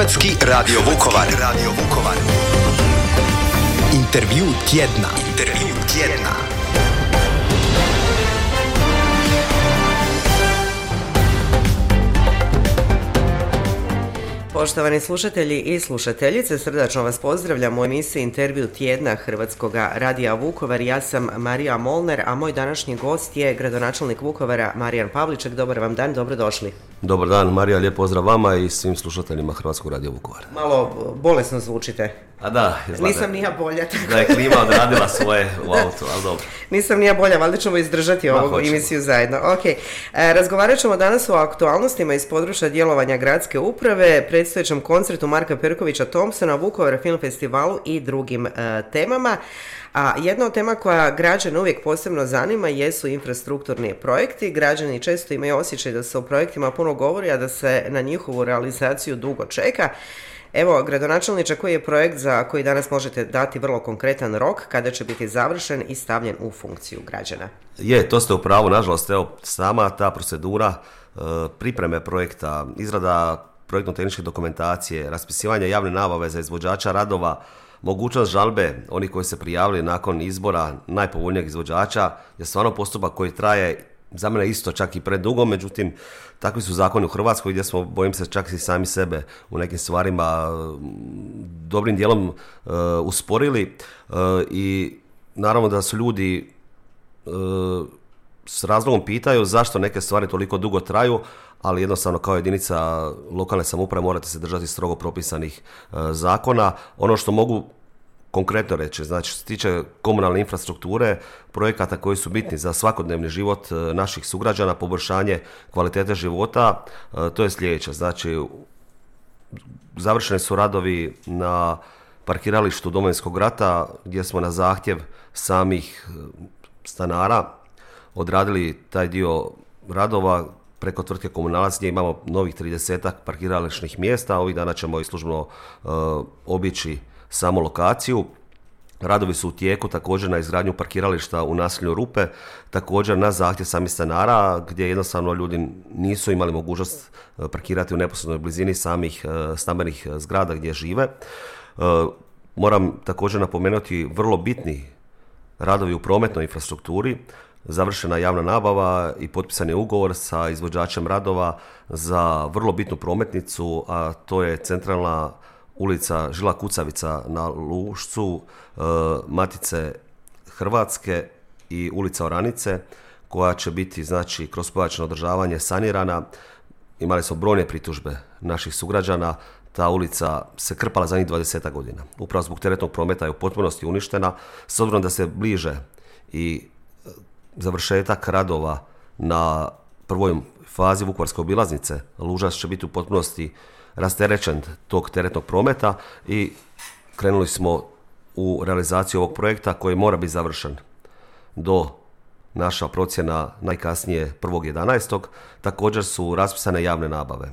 Hrvatski radio Vukovar. Intervju tjedna. Poštovani slušatelji i slušateljice, srdačno vas pozdravljam u emisiji Intervju tjedna Hrvatskog radija Vukovar. Ja sam Marija Molnar, a moj današnji gost je gradonačelnik Vukovara Marijan Pavliček. Dobar vam dan, dobrodošli. Dobar dan Marija, lijep pozdrav vama i svim slušateljima Hrvatskog radija Vukovar. Malo bolesno zvučite. A da, izgleda. Nisam ni ja bolja. Da je klima odradila svoje u autu, ali dobro. Nisam ni ja bolja, valjda ćemo izdržati ovu emisiju zajedno. Razgovarat ćemo danas o aktualnostima iz područja djelovanja gradske uprave, predstojećem koncertu Marka Perkovića Thompsona, Vukovar Film Festivalu i drugim temama. A jedna od tema koja građane uvijek posebno zanima jesu infrastrukturni projekti. Građani često imaju osjećaj da se o projektima puno govori, a da se na njihovu realizaciju dugo čeka. Evo, gradonačelniče, koji je projekt za koji danas možete dati vrlo konkretan rok, kada će biti završen i stavljen u funkciju građana? To ste u pravu, nažalost, sama ta procedura pripreme projekta, izrada projektno-tehničke dokumentacije, raspisivanje javne nabave za izvođača radova, mogućnost žalbe onih koji se prijavili nakon izbora najpovoljnijeg izvođača je stvarno postupak koji traje za mene isto čak i predugo, međutim takvi su zakoni u Hrvatskoj gdje smo, bojim se, čak i sami sebe u nekim stvarima dobrim dijelom usporili i naravno da su ljudi s razlogom pitaju zašto neke stvari toliko dugo traju, ali jednostavno kao jedinica lokalne samouprave morate se držati strogo propisanih zakona. Ono što mogu konkretno reći, znači što se tiče komunalne infrastrukture, projekata koji su bitni za svakodnevni život naših sugrađana, poboljšanje kvalitete života, to je sljedeće. Znači, završeni su radovi na parkiralištu Domovinskog rata gdje smo na zahtjev samih stanara odradili taj dio radova preko tvrtke Komunalac, gdje imamo novih 30 parkirališnih mjesta. Ovih dana ćemo i službeno obići samu lokaciju. Radovi su u tijeku također na izgradnju parkirališta u naselju Rupe, također na zahtjev samih stanara, gdje jednostavno ljudi nisu imali mogućnost parkirati u neposrednoj blizini samih stambenih zgrada gdje žive. Moram također napomenuti vrlo bitni radovi u prometnoj infrastrukturi. Završena javna nabava i potpisan je ugovor sa izvođačem radova za vrlo bitnu prometnicu, a to je centralna ulica Žila Kucavica na Lušcu, Matice Hrvatske i ulica Oranice, koja će biti, znači, kroz pojačano održavanje sanirana. Imali smo brojne pritužbe naših sugrađana, ta ulica se krpala zadnjih 20 godina. Upravo zbog teretnog prometa je u potpunosti uništena, s obzirom da se bliže i završetak radova na prvoj fazi Vukovarske obilaznice. Lužac će biti u potpunosti rasterećen tog teretnog prometa i krenuli smo u realizaciju ovog projekta koji mora biti završen do, naša procjena, najkasnije 1.11. Također su raspisane javne nabave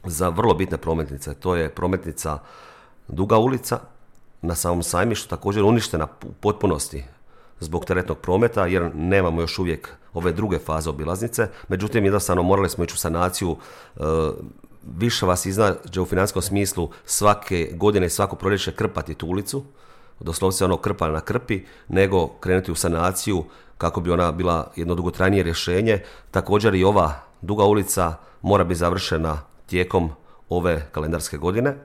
za vrlo bitne prometnice. To je prometnica Duga ulica na samom Sajmištu, također uništena u potpunosti zbog teretnog prometa, jer nemamo još uvijek ove druge faze obilaznice. Međutim, jednostavno morali smo ići u sanaciju. Više vas iznađe u financijskom smislu svake godine i svako proljeće krpati tu ulicu, doslovce ono krpa na krpi, nego krenuti u sanaciju kako bi ona bila jedno dugotrajnije rješenje. Također i ova Duga ulica mora biti završena tijekom ove kalendarske godine.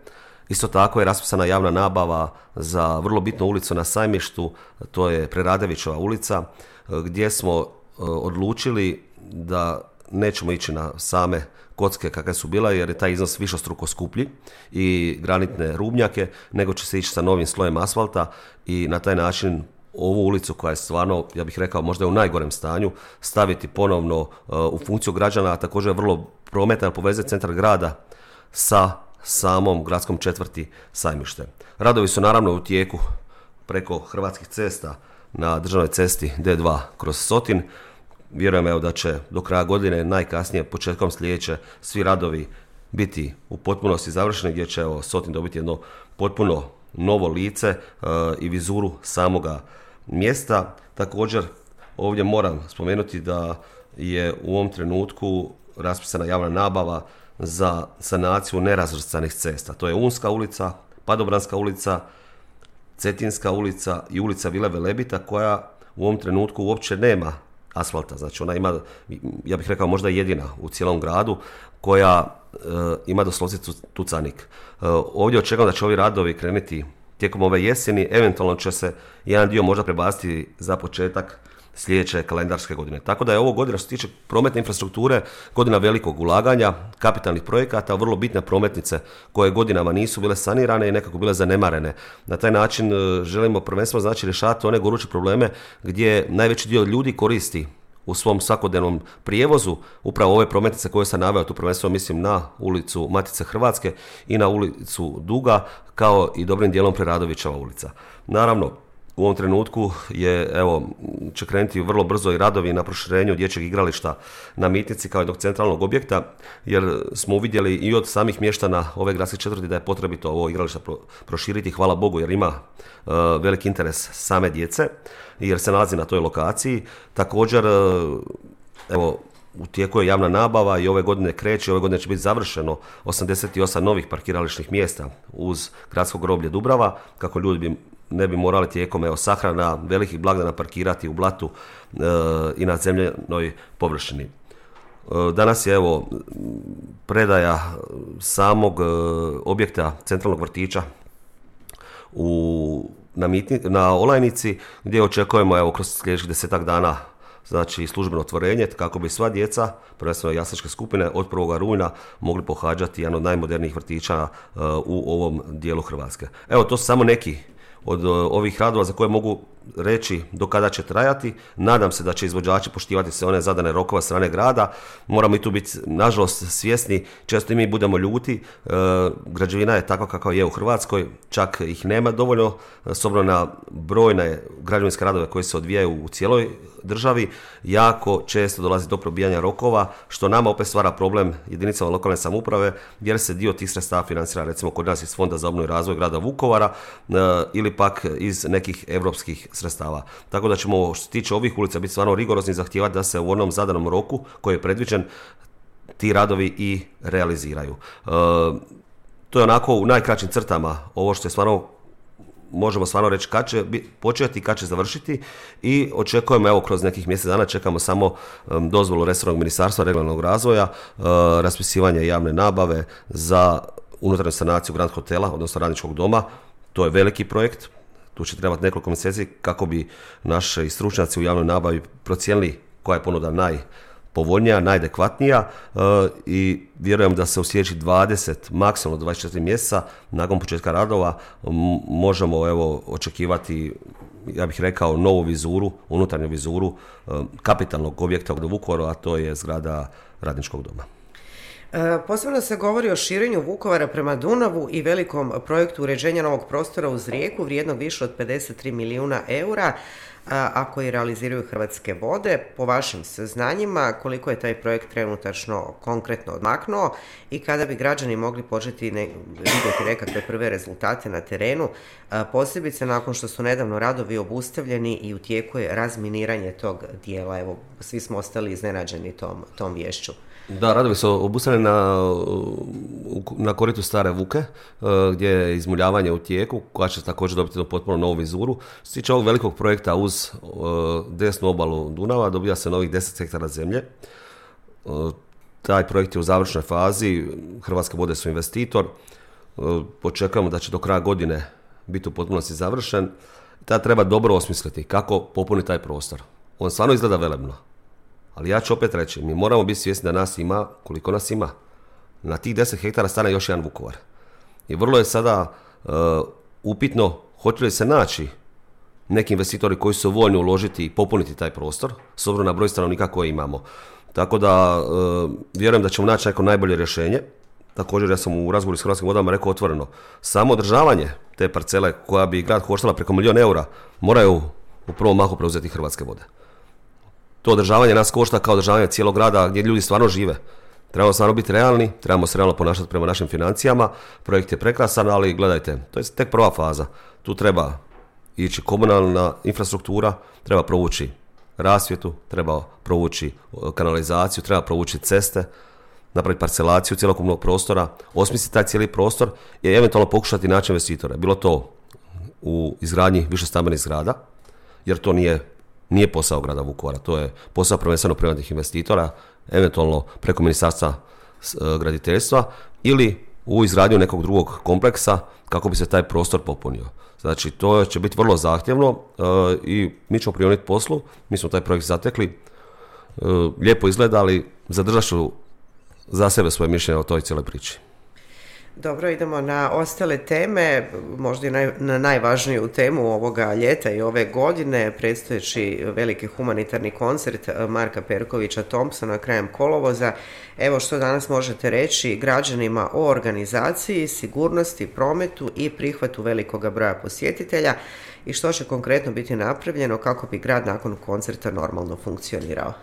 Isto tako je raspisana javna nabava za vrlo bitnu ulicu na Sajmištu, to je Preradovićeva ulica, gdje smo odlučili da nećemo ići na same kocke kakve su bila, jer je taj iznos višestruko skuplji i granitne rubnjake, nego će se ići sa novim slojem asfalta i na taj način ovu ulicu, koja je stvarno, ja bih rekao, možda je u najgorem stanju, staviti ponovno u funkciju građana, a također vrlo prometna, povezati centar grada sa samom gradskom četvrti Sajmište. Radovi su naravno u tijeku preko Hrvatskih cesta na državnoj cesti D2 kroz Sotin. Vjerujem da će do kraja godine, najkasnije početkom sljedeće, svi radovi biti u potpunosti završeni, gdje će Sotin dobiti jedno potpuno novo lice i vizuru samoga mjesta. Također ovdje moram spomenuti da je u ovom trenutku raspisana javna nabava za sanaciju nerazvrstanih cesta. To je Unska ulica, Padobranska ulica, Cetinska ulica i ulica Vile Velebita koja u ovom trenutku uopće nema asfalta. Znači ona ima, ja bih rekao možda jedina u cijelom gradu koja ima doslovce tucanik. Ovdje očekujem da će ovi radovi krenuti tijekom ove jeseni, eventualno će se jedan dio možda prebaciti za početak sljedeće kalendarske godine. Tako da je ovo godina što se tiče prometne infrastrukture godina velikog ulaganja, kapitalnih projekata, vrlo bitne prometnice koje godinama nisu bile sanirane i nekako bile zanemarene. Na taj način želimo prvenstveno znači rješavati one goruće probleme gdje najveći dio ljudi koristi u svom svakodnevnom prijevozu upravo ove prometnice koje sam naveo, tu prvenstveno mislim na ulicu Matice Hrvatske i na ulicu Duga, kao i dobrim dijelom Preradovićeva ulica. Naravno, u ovom trenutku će krenuti vrlo brzo i radovi na proširenju dječjeg igrališta na Mitnici kao jednog centralnog objekta, jer smo uvidjeli i od samih mještana ove gradske četvrti da je potrebito ovo igralište proširiti, hvala Bogu, jer ima veliki interes same djece, jer se nalazi na toj lokaciji. Također, u tijeku je javna nabava i ove godine kreće, ove godine će biti završeno 88 novih parkirališnih mjesta uz gradsko groblje Dubrava, kako ljudi ne bi morali tijekom sahrana velikih blagdana parkirati u blatu i na zemljenoj površini. Danas je predaja samog objekta centralnog vrtića na Olajnici, gdje očekujemo kroz sljedećih 10 dana znači službeno otvorenje kako bi sva djeca, prvenstveno jasličke skupine, od 1. rujna mogli pohađati jedan od najmodernijih vrtića u ovom dijelu Hrvatske. To su samo neki od ovih radova za koje mogu reći do kada će trajati. Nadam se da će izvođači poštivati sve one zadane rokova strane grada. Moramo i tu biti, nažalost, svjesni. Često i mi budemo ljuti. Građevina je takva kakva je u Hrvatskoj. Čak ih nema dovoljno, s obzirom na brojne građevinske radove koji se odvijaju u cijeloj državi. Jako često dolazi do probijanja rokova, što nama opet stvara problem jedinicama lokalne samouprave, jer se dio tih sredstava financira recimo kod nas iz Fonda za obnovu i razvoj grada Vukovara ili pak iz nekih europskih sredstava. Tako da ćemo, što se tiče ovih ulica, biti stvarno rigorozni i zahtijevati da se u onom zadanom roku koji je predviđen ti radovi i realiziraju. To je onako u najkraćim crtama ovo što je stvarno, možemo stvarno reći kad će početi i kad će završiti, i očekujemo kroz nekih mjesec dana, čekamo samo dozvolu resornog ministarstva regionalnog razvoja, raspisivanje javne nabave za unutarnju sanaciju Grand Hotela, odnosno Radničkog doma. To je veliki projekt, tu će trebati nekoliko mjeseci kako bi naši stručnjaci u javnoj nabavi procijenili koja je ponuda najpovoljnija, najadekvatnija, i vjerujem da se u sljedećih 20, maksimalno 24 mjeseca nakon početka radova možemo očekivati, ja bih rekao, novu vizuru, unutarnju vizuru kapitalnog objekta u Vukovaru, a to je zgrada Radničkog doma. Posebno se govori o širenju Vukovara prema Dunavu i velikom projektu uređenja novog prostora uz rijeku vrijednog više od 53 milijuna eura, a koji realiziraju Hrvatske vode. Po vašim saznanjima, koliko je taj projekt trenutačno konkretno odmaknuo i kada bi građani mogli početi vidjeti nekakve prve rezultate na terenu, posebice nakon što su nedavno radovi obustavljeni i u tijeku je razminiranje tog dijela. Svi smo ostali iznenađeni tom viješću. Da, radovi su obustavljeni na koritu Stare Vuke, gdje je izmuljavanje u tijeku, koja će također dobiti potpuno novu vizuru. Što se tiče ovog velikog projekta uz desnu obalu Dunava, dobija se novih 10 hektara zemlje. Taj projekt je u završnoj fazi, Hrvatske vode su investitor. Očekujemo da će do kraja godine biti u potpunosti završen. Tada treba dobro osmisliti kako popuniti taj prostor. On stvarno izgleda velebno. Ali ja ću opet reći, mi moramo biti svjesni da nas ima koliko nas ima. Na tih 10 hektara stane još jedan Vukovar. I vrlo je sada upitno hoće li se naći neki investitori koji su voljni uložiti i popuniti taj prostor s obzirom na broj stanovnika koje imamo. Tako da vjerujem da ćemo naći neko najbolje rješenje. Također ja sam u razgovoru s Hrvatskim vodama rekao otvoreno, samo održavanje te parcele koja bi grad koštala preko 1 milijun eura moraju u prvom mahu preuzeti Hrvatske vode. To održavanje nas košta kao održavanje cijelog grada gdje ljudi stvarno žive. Trebamo stvarno biti realni, trebamo se realno ponašati prema našim financijama. Projekt je prekrasan, ali gledajte, to je tek prva faza. Tu treba ići komunalna infrastruktura, treba provući rasvjetu, treba provući kanalizaciju, treba provući ceste. napraviti parcelaciju cjelokupnog prostora, osmisliti taj cijeli prostor i eventualno pokušati naći investitore. Bilo to u izgradnji višestambenih zgrada, jer to nije posao grada Vukovara, to je posao prvenstveno privatnih investitora, eventualno preko Ministarstva graditeljstva ili u izgradnju nekog drugog kompleksa kako bi se taj prostor popunio. Znači, to će biti vrlo zahtjevno i mi ćemo prioniti poslu, mi smo taj projekt zatekli, lijepo izgleda, ali zadržat ću za sebe svoje mišljenje o toj cijeloj priči. Dobro, idemo na ostale teme, možda i na najvažniju temu ovoga ljeta i ove godine, predstojeći veliki humanitarni koncert Marka Perkovića Thompsona krajem kolovoza. Evo što danas možete reći građanima o organizaciji, sigurnosti, prometu i prihvatu velikoga broja posjetitelja i što će konkretno biti napravljeno kako bi grad nakon koncerta normalno funkcionirao.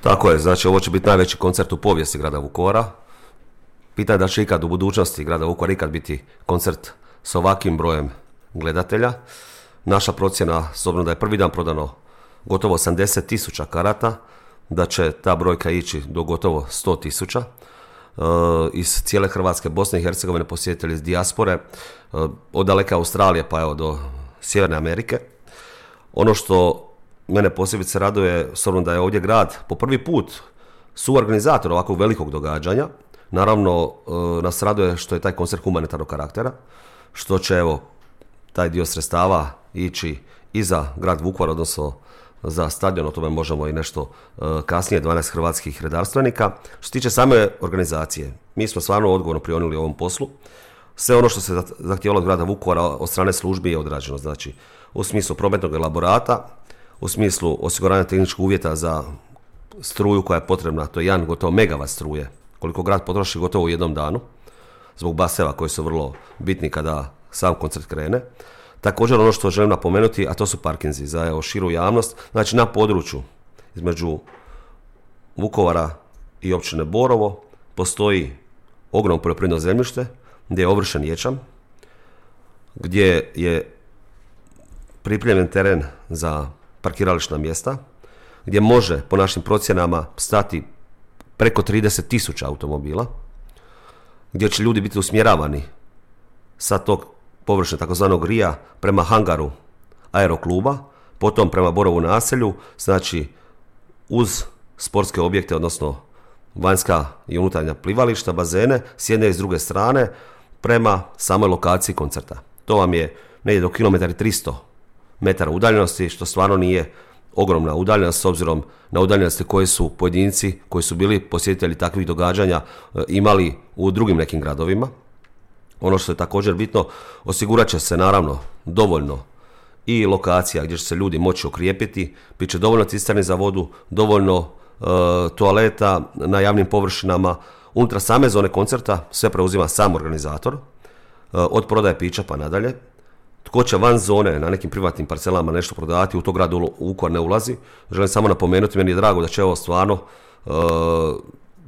Tako je, znači ovo će biti najveći koncert u povijesti grada Vukovara. Pitanje da će ikad u budućnosti grada Vukovara ikad biti koncert s ovakvim brojem gledatelja. Naša procjena, s obzirom da je prvi dan prodano gotovo 80.000 karata, da će ta brojka ići do gotovo 100.000. Iz cijele Hrvatske, Bosne i Hercegovine posjetitelji iz dijaspore, od daleke Australije pa evo do Sjeverne Amerike. Ono što mene posebice raduje, s obzirom da je ovdje grad po prvi put suorganizator ovakvog velikog događanja. Naravno, nas raduje što je taj koncert humanitarnog karaktera, što će evo taj dio sredstava ići i za grad Vukovar, odnosno za stadion, o tome možemo i nešto kasnije, 12 hrvatskih redarstvenika. Što se tiče same organizacije, mi smo stvarno odgovorno prionuli ovom poslu. Sve ono što se zahtijevalo od grada Vukovara od strane službi je odrađeno, znači u smislu prometnog elaborata, u smislu osiguranja tehničkih uvjeta za struju koja je potrebna, to je jedan gotovo megavat struje, koliko grad potroši gotovo u jednom danu, zbog baseva koji su vrlo bitni kada sam koncert krene. Također ono što želim napomenuti, a to su parkinzi za širu javnost, znači na području između Vukovara i općine Borovo postoji ogromno poljoprivredno zemljište gdje je ovršen ječam, gdje je pripremljen teren za parkirališna mjesta, gdje može po našim procjenama stati preko 30.000 automobila, gdje će ljudi biti usmjeravani sa tog površine takozvanog rija prema hangaru aerokluba, potom prema Borovu naselju, znači uz sportske objekte, odnosno vanjska i unutarnja plivališta, bazene, s jedne i s druge strane, prema samoj lokaciji koncerta. To vam je negdje do kilometar i 300 metara udaljenosti, što stvarno nije ogromna udaljenost s obzirom na udaljenosti koje su pojedinci koji su bili posjetitelji takvih događanja imali u drugim nekim gradovima. Ono što je također bitno, osigurat će se naravno dovoljno i lokacija gdje će se ljudi moći okrijepiti, bit će dovoljno cisterni za vodu, dovoljno toaleta na javnim površinama. Unutar same zone koncerta sve preuzima sam organizator, od prodaje pića pa nadalje. Tko će van zone na nekim privatnim parcelama nešto prodavati, u to grad Vukovar ne ulazi. Želim samo napomenuti, meni je drago da će ovo stvarno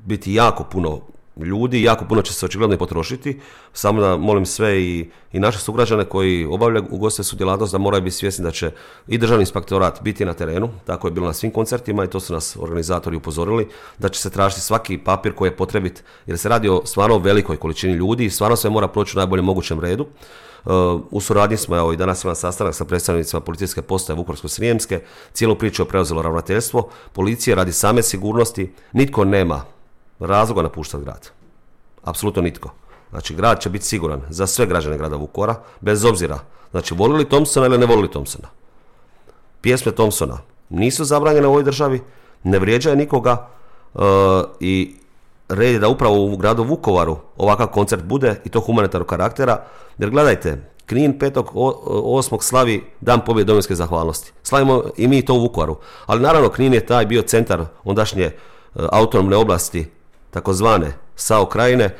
biti jako puno ljudi, jako puno će se očigledno i potrošiti. Samo da molim sve i naše sugrađane koji obavljaju ugostiteljsku djelatnost da moraju biti svjesni da će i državni inspektorat biti na terenu, tako je bilo na svim koncertima i to su nas organizatori upozorili, da će se tražiti svaki papir koji je potrebit, jer se radi o stvarno velikoj količini ljudi i stvarno sve mora proći u najboljem mogućem redu. U suradnji smo, evo i danas imam sastanak sa predstavnicima policijske postaje Vukovarsko-srijemske, cijelu priču je preuzelo ravnateljstvo policije radi same sigurnosti, nitko nema razloga napuštati grad. Apsolutno nitko. Znači, grad će biti siguran za sve građane grada Vukovara, bez obzira, znači, volili Thompsona ili ne volili Thompsona. Pjesme Thompsona nisu zabranjene u ovoj državi, ne vrijeđaju nikoga i red je da upravo u gradu Vukovaru ovakav koncert bude i to humanitarnog karaktera, jer gledajte, Knin 5.8. slavi Dan pobjede domovinske zahvalnosti. Slavimo i mi to u Vukovaru, ali naravno Knin je taj bio centar ondašnje autonomne oblasti, takozvane SAO krajine,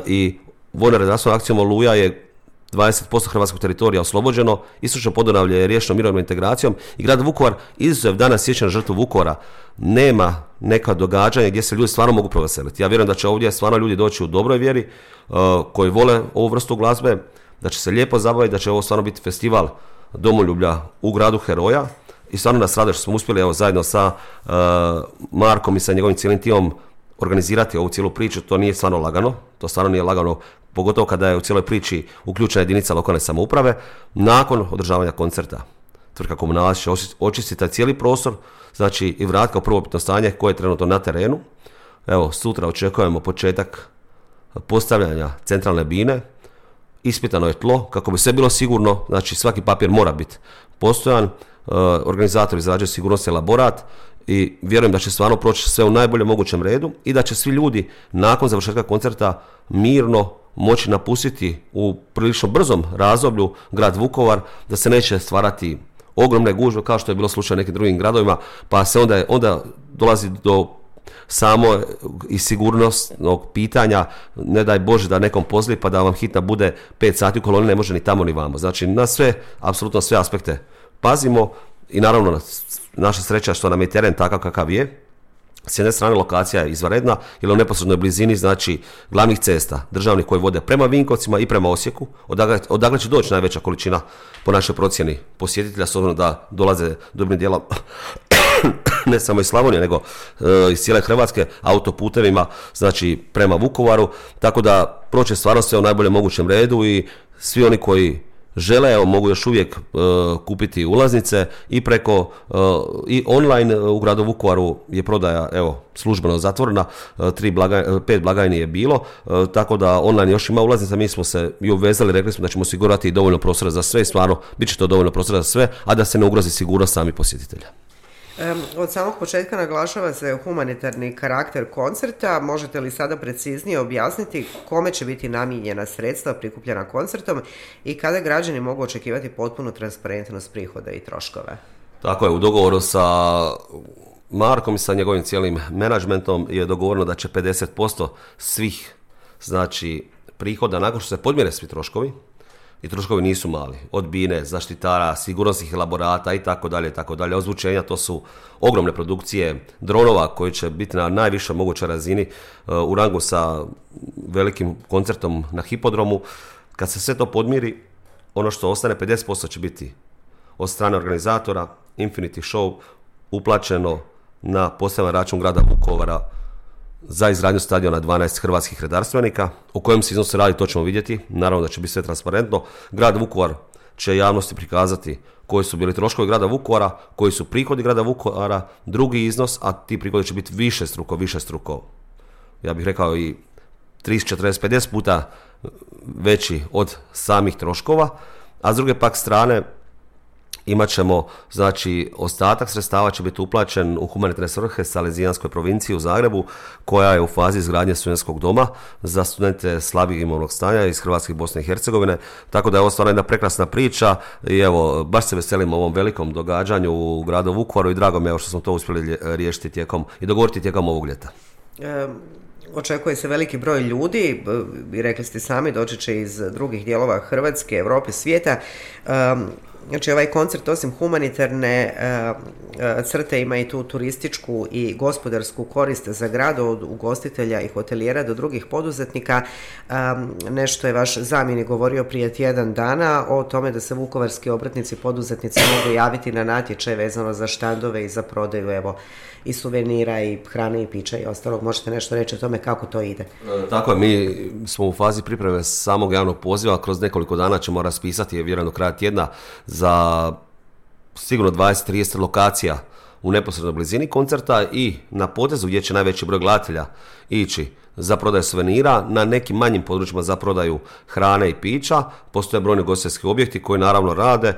i vojno-redarskom akcijom Oluja je 20% hrvatskog teritorija oslobođeno, istočno Podunavlje je riješeno mirovnom integracijom i grad Vukovar, izuzev danas sjećanja žrtvu Vukovara, nema neka događanja gdje se ljudi stvarno mogu proveseliti. Ja vjerujem da će ovdje stvarno ljudi doći u dobroj vjeri, koji vole ovu vrstu glazbe, da će se lijepo zabaviti, da će ovo stvarno biti festival domoljublja u gradu heroja i stvarno nas raduje što smo uspjeli evo, zajedno sa Markom i sa njegovim cijelim timom organizirati ovu cijelu priču, to nije stvarno lagano, pogotovo kada je u cijeloj priči uključena jedinica lokalne samouprave. Nakon održavanja koncerta tvrtka Komunalac će očistiti taj cijeli prostor, znači i vratiti kao prvobitno stanje koje je trenutno na terenu. Evo, sutra očekujemo početak postavljanja centralne bine, ispitano je tlo kako bi sve bilo sigurno, znači svaki papir mora biti postojan, organizator izrađuje sigurnosni elaborat i vjerujem da će stvarno proći sve u najboljem mogućem redu i da će svi ljudi nakon završetka koncerta mirno moći napustiti u prilično brzom razdoblju grad Vukovar, da se neće stvarati ogromne gužve kao što je bilo slučaj u nekim drugim gradovima, pa se onda dolazi do samo i sigurnosnog pitanja, ne daj Bože da nekom pozli pa da vam hitna bude 5 sati u koloni, ne može ni tamo ni vamo. Znači na sve, apsolutno sve aspekte pazimo i naravno naša sreća što nam je teren takav kakav je. S jedne strane lokacija je izvanredna jer u neposrednoj blizini znači glavnih cesta državnih koji vode prema Vinkovcima i prema Osijeku, odakle će doći najveća količina po našoj procjeni posjetitelja, s obzirom da dolaze dobrim dijelom ne samo iz Slavonije nego iz cijele Hrvatske autoputevima, znači prema Vukovaru, tako da proće stvarno sve u najboljem mogućem redu i svi oni koji žele, evo, mogu još uvijek kupiti ulaznice i preko i online u gradu Vukovaru je prodaja, evo, službeno zatvorena, 5 blagajni je bilo, tako da online još ima ulaznica, mi smo se i obvezali, rekli smo da ćemo osigurati dovoljno prostora za sve i stvarno bit će to dovoljno prostora za sve, a da se ne ugrozi sigurnost samih posjetitelja. Od samog početka naglašava se humanitarni karakter koncerta. Možete li sada preciznije objasniti kome će biti namijenjena sredstva prikupljena koncertom i kada građani mogu očekivati potpunu transparentnost prihoda i troškova? Tako je, u dogovoru sa Markom i sa njegovim cijelim menadžmentom je dogovoreno da će 50% svih, znači, prihoda nakon što se podmjere svi troškovi, i troškovi nisu mali, od bine, zaštitara, sigurnosnih elaborata i tako dalje, ozvučenja, to su ogromne produkcije dronova koji će biti na najvišoj mogućoj razini u rangu sa velikim koncertom na hipodromu. Kad se sve to podmiri, ono što ostane 50% će biti od strane organizatora Infinity Show uplaćeno na poseban račun grada Vukovara za izgradnju stadiona 12 hrvatskih redarstvenika. O kojem se iznosu radi, to ćemo vidjeti. Naravno da će biti sve transparentno. Grad Vukovar će javnosti prikazati koji su bili troškovi grada Vukovara, koji su prihodi grada Vukovara, drugi iznos, a ti prihodi će biti višestruko, ja bih rekao i 30, 40, 50 puta veći od samih troškova, a s druge pak strane imat ćemo, znači, ostatak sredstava će biti uplaćen u humanitarne svrhe Salezijanskoj provinciji u Zagrebu, koja je u fazi izgradnje studentskog doma za studente slabijeg imovnog stanja iz Hrvatske i Bosne i Hercegovine, tako da je ovo stvarno jedna prekrasna priča i evo, baš se veselim ovom velikom događanju u gradu Vukovaru i drago mi je što smo to uspjeli riješiti i dogovoriti tijekom ovog ljeta. Očekuje se veliki broj ljudi, rekli ste sami, doći će iz drugih dijelova Hrvatske, Europe, svijeta. Znači, ovaj koncert osim humanitarne crte ima i tu turističku i gospodarsku korist za grad, od ugostitelja i hotelijera do drugih poduzetnika. Nešto je vaš zamjenik govorio prije tjedan dana o tome da se vukovarski obrtnici, poduzetnici mogu javiti na natječaj vezano za štandove i za prodaju, evo, i suvenira i hrane i pića i ostalog. Možete nešto reći o tome kako to ide? Tako je, mi smo u fazi pripreme samog javnog poziva, kroz nekoliko dana ćemo raspisati, vjerujem do kraja tjedna, za sigurno 20-30 lokacija u neposrednoj blizini koncerta i na potezu gdje će najveći broj gledatelja ići za prodaju suvenira, na nekim manjim područjima za prodaju hrane i pića. Postoje brojni ugostiteljski objekti koji naravno rade,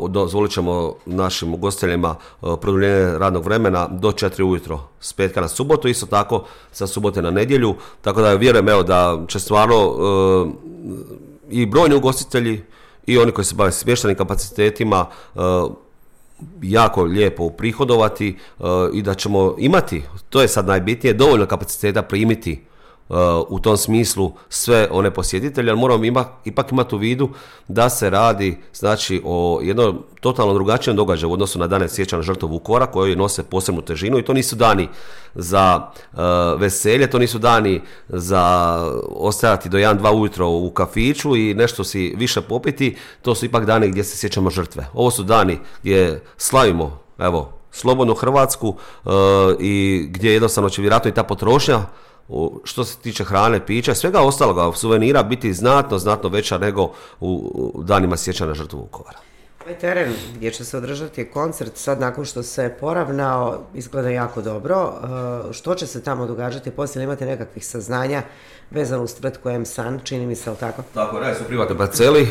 dozvolit ćemo našim ugostiteljima produljenje radnog vremena do 4 ujutro s petka na subotu, isto tako sa subote na nedjelju, tako da vjerujem, evo, da će stvarno i brojni ugostitelji i oni koji se bave smještajnim kapacitetima jako lijepo uprihodovati i da ćemo imati, to je sad najbitnije, dovoljno kapaciteta primiti u tom smislu sve one posjetitelje, ali moramo ipak imati u vidu da se radi, znači, o jednom totalno drugačijem događaju u odnosu na dane sjećanja na žrtvu Vukovara, koji nose posebnu težinu i to nisu dani za veselje, to nisu dani za ostajati do 1-2 ujutro u kafiću i nešto si više popiti, to su ipak dani gdje se sjećamo žrtve. Ovo su dani gdje slavimo, evo, slobodnu Hrvatsku i gdje jednostavno će vjerojatno i ta potrošnja što se tiče hrane, pića, svega ostaloga, suvenira biti znatno veća nego u danima sjećanja na žrtvu Vukovara. Ovaj teren gdje će se održati koncert, sad nakon što se poravnao, izgleda jako dobro. Što će se tamo događati poslije, ili imate nekakvih saznanja vezano uz tvrtku M-San, čini mi se, ali tako? Tako, radi se o privatnoj parceli.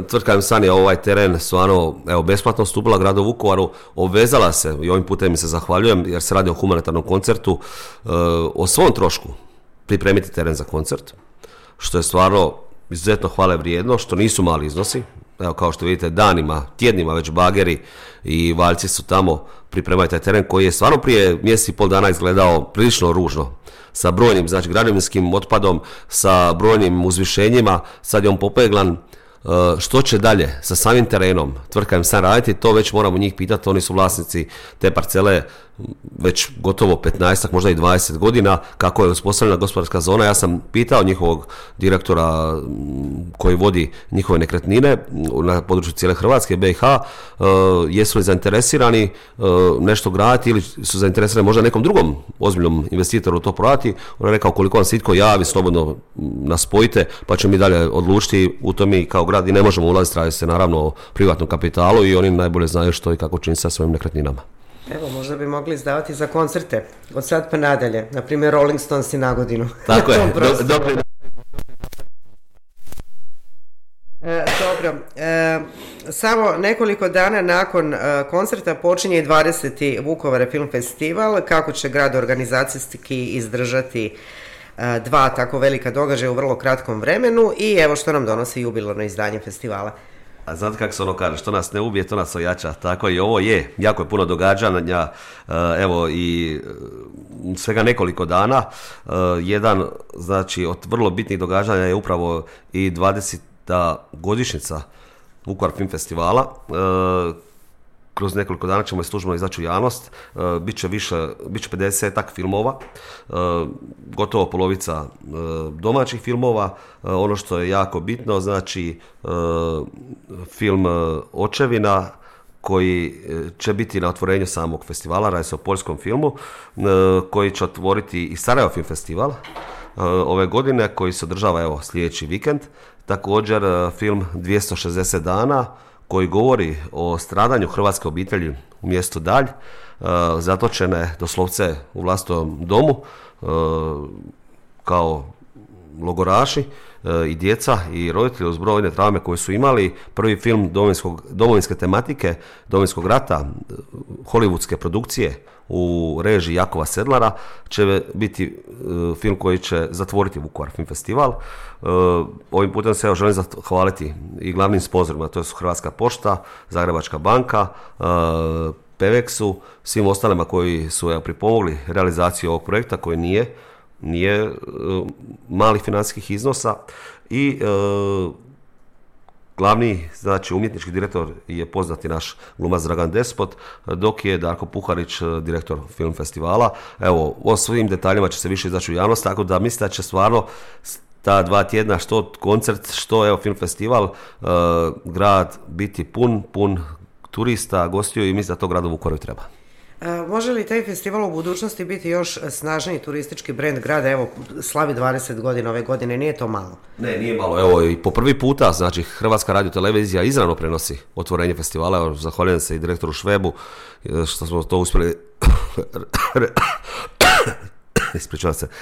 Tvrtka M-San je ovaj teren stvarno besplatno ustupila gradu Vukovaru, obvezala se, i ovim putem mi se zahvaljujem jer se radi o humanitarnom koncertu, o svom trošku pripremiti teren za koncert, što je stvarno izuzetno hvale vrijedno, što nisu mali iznosi. Evo, kao što vidite, danima, tjednima već bageri i valjci su tamo, pripremaju taj teren koji je stvarno prije mjesec i pol dana izgledao prilično ružno, sa brojnim, znači, građevinskim otpadom, sa brojnim uzvišenjima. Sad je on popeglan. Što će dalje sa samim terenom tvrtka M-San raditi, to već moramo njih pitati. Oni su vlasnici te parcele već gotovo 15, možda i 20 godina, kako je uspostavljena gospodarska zona. Ja sam pitao njihovog direktora koji vodi njihove nekretnine na području cijele Hrvatske, BiH, jesu li zainteresirani nešto graditi ili su zainteresirani možda nekom drugom ozbiljnom investitoru to prodati. On je rekao, koliko vam se itko javi, slobodno nas spojite, pa ćemo mi dalje odlučiti. U to mi kao grad i ne možemo ulaziti, radi se naravno o privatnom kapitalu i oni najbolje znaju što i kako čini sa svojim nekretninama. Evo, možda bi mogli izdavati za koncerte od sad pa nadalje, na primjer Rolling Stones i na godinu. Tako je, dobro. Dobro, samo nekoliko dana nakon koncerta počinje i 20. Vukovar Film Festival. Kako će grad organizacijski izdržati dva tako velika događaja u vrlo kratkom vremenu i evo što nam donosi jubilarno izdanje festivala. A znate kako se ono kaže, što nas ne ubije, to nas ojača. Tako i ovo je, jako je puno događanja, evo i svega nekoliko dana. Jedan, znači, od vrlo bitnih događanja je upravo i 20. godišnjica Vukovar Film Festivala. Kroz nekoliko dana ćemo službeno izaći u javnost, bit će 50-ak filmova, gotovo polovica domaćih filmova. Ono što je jako bitno, znači film Očevina koji će biti na otvorenju samog festivala, radi se o poljskom filmu, koji će otvoriti i Sarajevo Film Festival ove godine, koji se održava evo sljedeći vikend. Također film 260 dana, koji govori o stradanju hrvatske obitelji u mjestu Dalj, zatočene doslovce u vlastitom domu kao logoraši, i djeca i roditelji uz brojne traume koje su imali. Prvi film domovinske tematike, Domovinskog rata, hollywoodske produkcije u režiji Jakova Sedlara će biti film koji će zatvoriti Vukovar Film Festival. Ovim putem se želim zahvaliti i glavnim sponzorima, to su Hrvatska pošta, Zagrebačka banka, Pevexu, svim ostalima koji su pripomogli realizaciju ovog projekta koji nije mali financijskih iznosa i glavni, znači, umjetnički direktor je poznati naš glumac Dragan Despot, dok je Darko Puharić direktor film festivala. Evo, o svim detaljima će se više izaći u javnost, tako da mislim da će stvarno ta 2 tjedna, što koncert, što evo film festival, grad biti pun turista, gostiju i mislim da to gradu Vukovaru treba. Može li taj festival u budućnosti biti još snažniji turistički brend grada? Evo, slavi 20 godina ove godine, nije to malo? Ne, nije malo. Evo, i po prvi puta, znači, Hrvatska radiotelevizija izravno prenosi otvorenje festivala. Evo, zahvaljujem se i direktoru Švebu što smo to uspjeli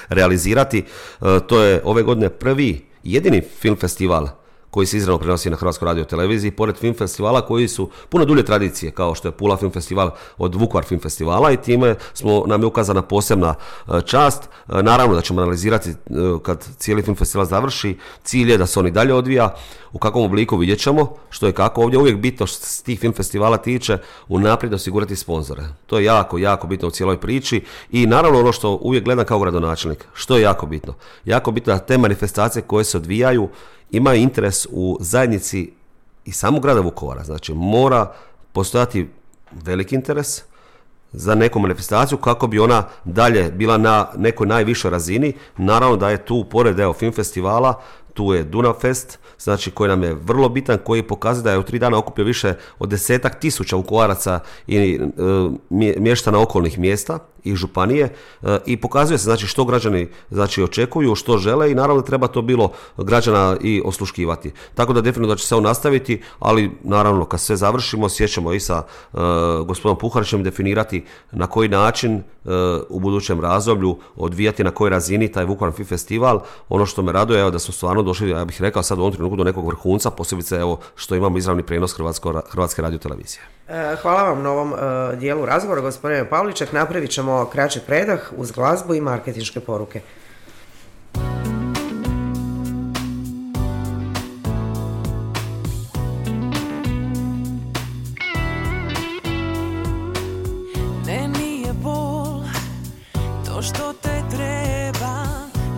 realizirati. To je ove godine prvi, jedini film festival koji se izravno prenosi na Hrvatskoj radioteleviziji, pored film festivala koji su puno dulje tradicije, kao što je Pula Film Festival od Vukovar Film Festivala, i time nam je ukazana posebna čast. Naravno da ćemo analizirati kad cijeli film festival završi, cilj je da se on i dalje odvija, u kakvom obliku vidjet ćemo, što je kako. Ovdje uvijek bitno što se tih film festivala tiče, unaprijed osigurati sponzore. To je jako bitno u cijeloj priči i naravno ono što uvijek gledam kao gradonačelnik, što je jako bitno. Jako bitno da te manifestacije koje se odvijaju imaju interes u zajednici i samog grada Vukovara. Znači, mora postojati veliki interes za neku manifestaciju kako bi ona dalje bila na nekoj najvišoj razini. Naravno da je tu, pored film festivala, tu je Dunav Fest, znači koji nam je vrlo bitan, koji pokazuje da je u 3 dana okupio više od 10.000 Vukovaraca i mještana okolnih mjesta i županije i pokazuje se znači što građani znači očekuju, što žele i naravno treba to bilo građana i osluškivati. Tako da definitivno da će se on nastaviti, ali naravno kad sve završimo sjećamo i sa gospodinom Puharićem definirati na koji način u budućem razdoblju odvijati na kojoj razini taj Vukovar Film Festival. Ono što me raduje je da smo stvarno došli, ja bih rekao sad u ovom trenutku do nekog vrhunca, posebice evo što imamo izravni prijenos Hrvatske radiotelevizije. Hvala vam na ovom dijelu razgovora, gospodine Pavliček. Napravit ćemo kraći predah uz glazbu i marketinške poruke. Ne, nije bol to što te treba,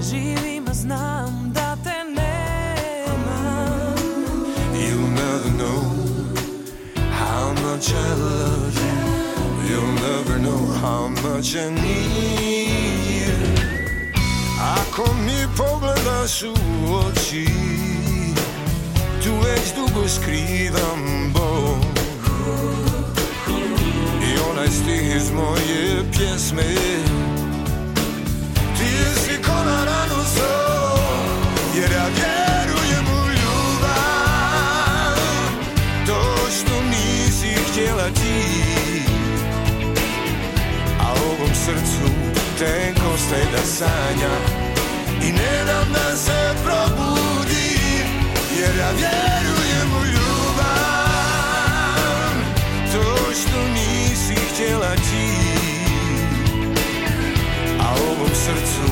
živim a znam da te nema. You'll never know how much I love you. You'll never know how much I need you. Ako mi pogledaš u oči, tu već dugo skrivam bol. I onaj stih iz moje pjesme, ti si ko na ranu svoj, jer ja vjerujem u ljubav. To što nisi htjela ti, a ovom srcu tenko staje da sanja i ne dam da se probudi, jer ja vjerujem u ljubav. To što nisi htjela ti, a ovom srcu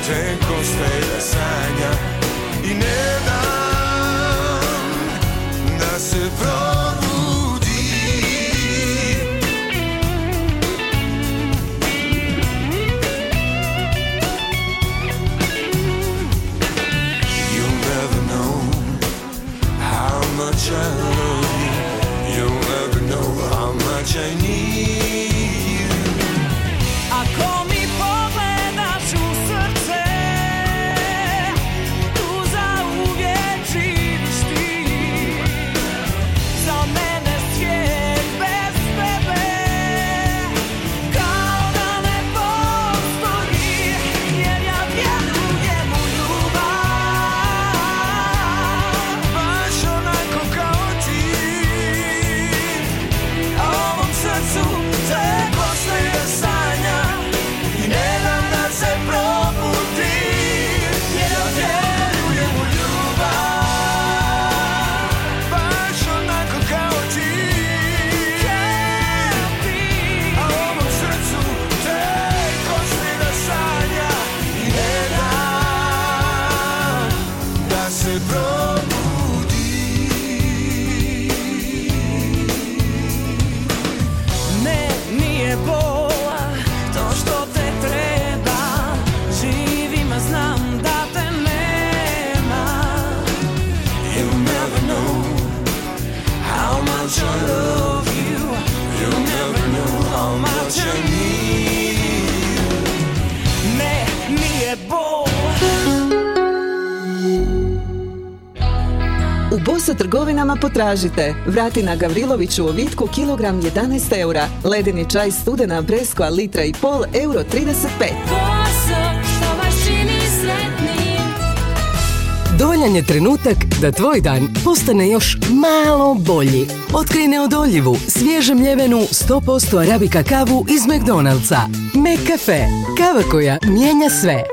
tenko staje da sanja i ne dam da se probudi. I love you. You'll never know how much I need you. Ako mi pogledaš u srce, tu zauvijek živiš ti. Za mene svijet bez tebe kao da ne postoji, jer ja vjerujem u ljubav. Baš onako kao ti, a ovom srcu teko staje sanja i ne dam da se probudi, jer ja vjerujem u ljubav. Baš onako kao ti, a ovom srcu teko staje sanja i ne dam da se probudi. Ne, nije bola to što te treba, živim a znam da te nema. You'll never know how much I love you. You'll never know how much I need you. Ne, nije bola. U Bosa trgovinama potražite Vratina Gavriloviću u Vitku kilogram 11 eura, ledeni čaj Studena Breskva litra i pol euro 35. Boso, što vas čini sretnim. Dovoljan je trenutak da tvoj dan postane još malo bolji. Otkrij neodoljivu, svježe mljevenu 100% arabika kavu iz McDonald'sa. McCafe, kava koja mijenja sve.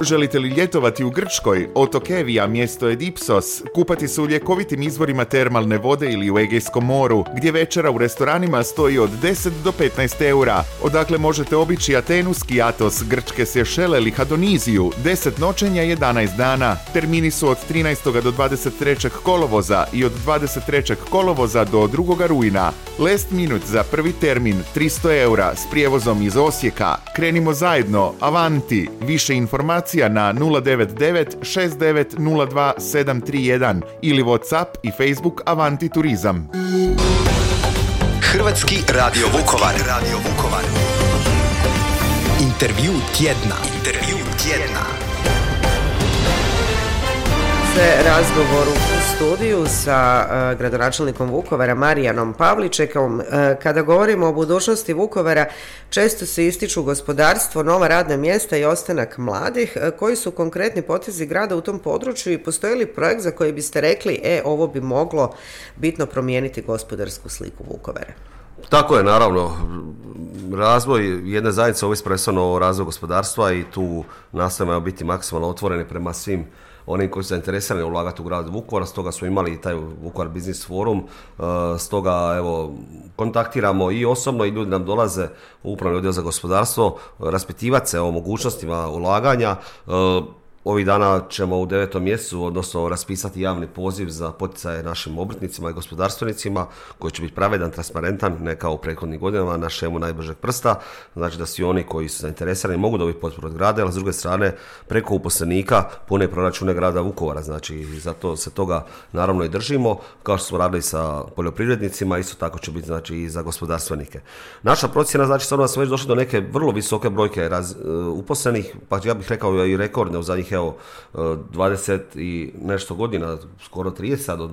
Želite li ljetovati u Grčkoj? Otok Evija, mjesto je Dipsos, kupati se u ljekovitim izvorima termalne vode ili u Egejskom moru, gdje večera u restoranima stoji od 10 do 15 eura. Odakle možete obići Atenu, Skiatos, grčke Sješele ili Hadoniziju, 10 noćenja 11 dana. Termini su od 13. do 23. kolovoza i od 23. kolovoza do 2. rujna. Last minute za prvi termin 300 eura s prijevozom iz Osijeka. Krenimo zajedno, avanti! Više informacija na 099 6902 731 ili WhatsApp i Facebook Avanti Turizam. Hrvatski radio Vukovar. Intervju tjedna. se razgovoru u studiju sa gradonačelnikom Vukovara Marijanom Pavličekom. Kada govorimo o budućnosti Vukovara, često se ističu gospodarstvo, nova radna mjesta i ostanak mladih. Koji su konkretni potezi grada u tom području i postoji li projekt za koji biste rekli ovo bi moglo bitno promijeniti gospodarsku sliku Vukovara? Tako je, naravno. Razvoj jedne zajednice ovisi prvenstveno o razvoju gospodarstva i tu nastojimo biti maksimalno otvoreni prema svim onim koji su zainteresirani ulagati u grad Vukovar, stoga smo imali i taj Vukovar Business Forum, stoga evo kontaktiramo i osobno i ljudi nam dolaze u upravni odjel za gospodarstvo raspitivati se o mogućnostima ulaganja. Ovih dana ćemo u 9. mjesecu, odnosno raspisati javni poziv za poticaje našim obrtnicima i gospodarstvenicima koji će biti pravedan, transparentan, ne kao u prethodnim godinama na šemu najbržeg prsta. Znači da svi oni koji su zainteresirani mogu dobiti potporu od grada, ali s druge strane preko uposlenika pune proračune grada Vukovara. Znači zato se toga naravno i držimo, kao što smo radili sa poljoprivrednicima, isto tako će biti znači i za gospodarstvenike. Naša procjena znači stvarno da smo već došli do neke vrlo visoke brojke uposlenih, pa ja bih rekao i rekordne u zadnjih 20 i nešto godina, skoro 30 od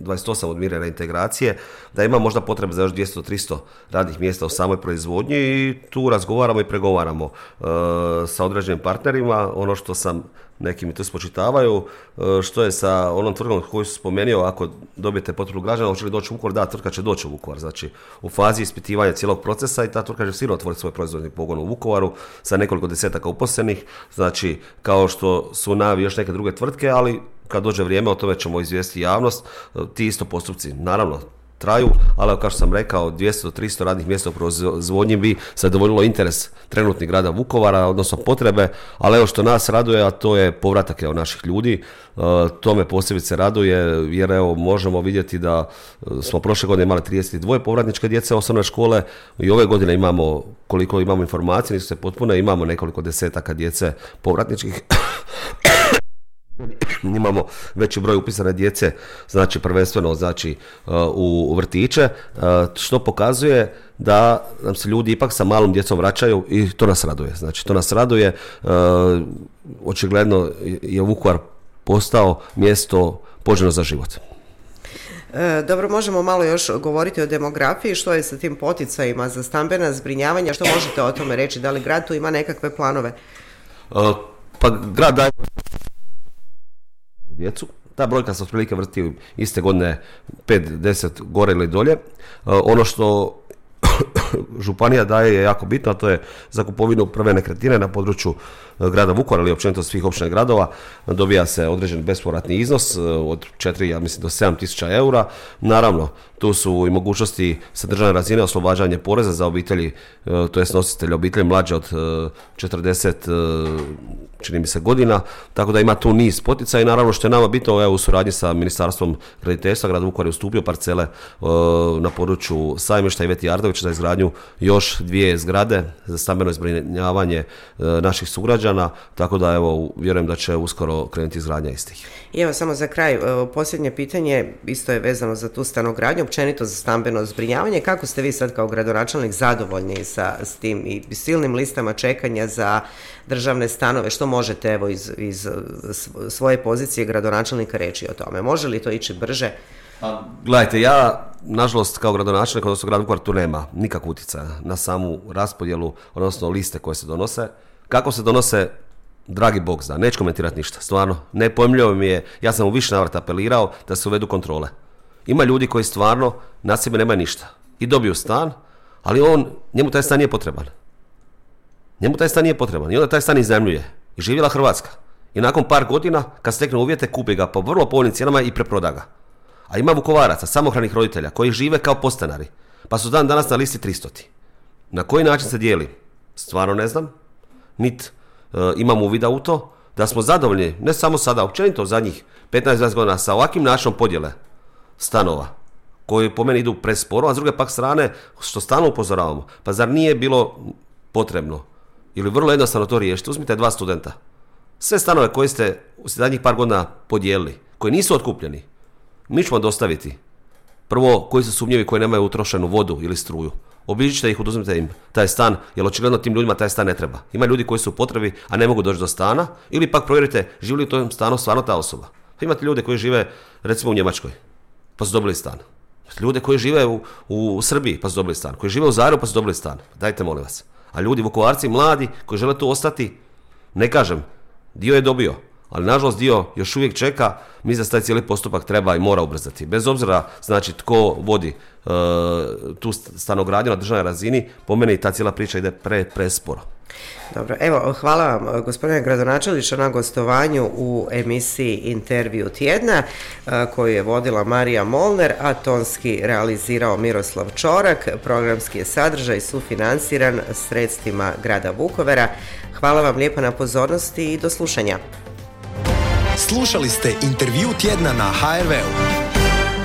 28 od mire reintegracije, da ima možda potrebe za još 200-300 radnih mjesta u samoj proizvodnji i tu razgovaramo i pregovaramo sa određenim partnerima. Ono što sam neki mi tu spočitavaju, što je sa onom tvrtkom koju su spomenuo, ako dobijete potporu građana, hoće li doći u Vukovar? Da, tvrtka će doći u Vukovar. Znači, u fazi ispitivanja cijelog procesa i ta tvrtka će sigurno otvoriti svoj proizvodni pogon u Vukovaru sa nekoliko desetaka uposlenih. Znači, kao što su najavi još neke druge tvrtke, ali kad dođe vrijeme o tome ćemo izvijestiti javnost. Ti isto postupci, naravno, traju, ali kao što sam rekao, 200 do 300 radnih mjesta u proizvodnji bi zadovoljilo interes trenutnih grada Vukovara, odnosno potrebe, ali evo što nas raduje, a to je povratak naših ljudi. To me posebice raduje, jer evo možemo vidjeti da smo prošle godine imali 32 povratničke djece osnovne škole i ove godine imamo, koliko imamo informacije, nisu se potpune, imamo nekoliko desetaka djece povratničkih. Imamo veći broj upisane djece, znači prvenstveno znači u vrtiće, što pokazuje da nam se ljudi ipak sa malom djecom vraćaju i to nas raduje. Znači to nas raduje, očigledno je Vukovar postao mjesto poželjno za život. Dobro, možemo malo još govoriti o demografiji, što je sa tim poticajima za stambena zbrinjavanja, što možete o tome reći, da li grad tu ima nekakve planove? Pa grad daje djecu. Ta brojka se otprilike vrti iste godine 5-10 gore ili dolje. Ono što županija daje je jako bitno, a to je za kupovinu prve nekretnine na području grada Vukovara ili općenito svih općina i gradova. Dobija se određen bespovratni iznos od 4, ja mislim do 7 tisuća eura. Naravno, tu su i mogućnosti sa državne razine oslobađanje poreza za obitelji, to jest nositelji obitelji mlađe od 40 čini mi se godina, tako da ima tu niz poticaja i naravno što je nama bitno, u suradnji sa Ministarstvom graditeljstva grad Vukovar je ustupio parcele na području Sajmišta i Iveti Ardović za izgradnju još 2 zgrade za stambeno zbrinjavanje naših sugrađana, tako da evo vjerujem da će uskoro krenuti izgradnja istih. I evo samo za kraj, posljednje pitanje, isto je vezano za tu stanogradnju, općenito za stambeno zbrinjavanje. Kako ste vi sad kao gradonačelnik zadovoljni s tim i silnim listama čekanja za državne stanove? Što možete evo iz svoje pozicije gradonačelnika reći o tome? Može li to ići brže? Gledajte, ja nažalost kao gradonačelnik, odnosno grad Vukovar, tu nema nikakvog utjecaja na samu raspodjelu, odnosno liste koje se donose. Kako se donose, dragi Bog zna, neću komentirati ništa, stvarno, nepojmljivo mi je, ja sam u više navrata apelirao da se uvedu kontrole. Ima ljudi koji stvarno na sebi nemaju ništa i dobiju stan, ali njemu taj stan nije potreban. Njemu taj stan nije potreban i onda taj stan iznajmljuje. I živjela Hrvatska. I nakon par godina, kad stekne uvjete, kupi ga po vrlo povoljnim cijenama i preproda ga. A ima Vukovaraca, samohranih roditelja, koji žive kao podstanari, pa su danas na listi 300. Na koji način se dijeli? Stvarno ne znam. Nit imam uvida u to da smo zadovoljni, ne samo sada, općenito zadnjih 15-20 godina sa ovakvim načinom podjele stanova, koji po meni idu presporo, a s druge pak strane, što stalno upozoravamo, pa zar nije bilo potrebno ili vrlo jednostavno to riješiti? Uzmite 2 studenta. Sve stanove koje ste u zadnjih par godina podijelili, koji nisu otkupljeni, mi ćemo dostaviti. Prvo, koji su sumnjivi, koji nemaju utrošenu vodu ili struju. Obiđite ih, oduzmite im taj stan, jer očigledno tim ljudima taj stan ne treba. Ima ljudi koji su u potrebi, a ne mogu doći do stana, ili pak provjerite živi li u tom stanu stvarno ta osoba. Imate ljude koji žive recimo u Njemačkoj, pa su dobili stan. Ljude koji žive u Srbiji, pa su dobili stan. Koji žive u Zagrebu, pa su dobili stan. Dajte, molim vas. A ljudi, Vukovarci, mladi, koji žele tu ostati, ne kažem, dio je dobio, ali nažalost dio još uvijek čeka. Mi za taj cijeli postupak treba i mora ubrzati. Bez obzira, znači, tko vodi tu stanogradnju na državnoj razini, po meni ta cijela priča ide presporo. Dobro, evo, hvala vam gospodine gradonačelniče na gostovanju u emisiji Intervju tjedna koju je vodila Marija Molner, a tonski realizirao Miroslav Čorak. Programski je sadržaj sufinanciran sredstvima grada Vukovara. Hvala vam lijepa na pozornosti i do slušanja. Slušali ste Intervju tjedna na HRV-u.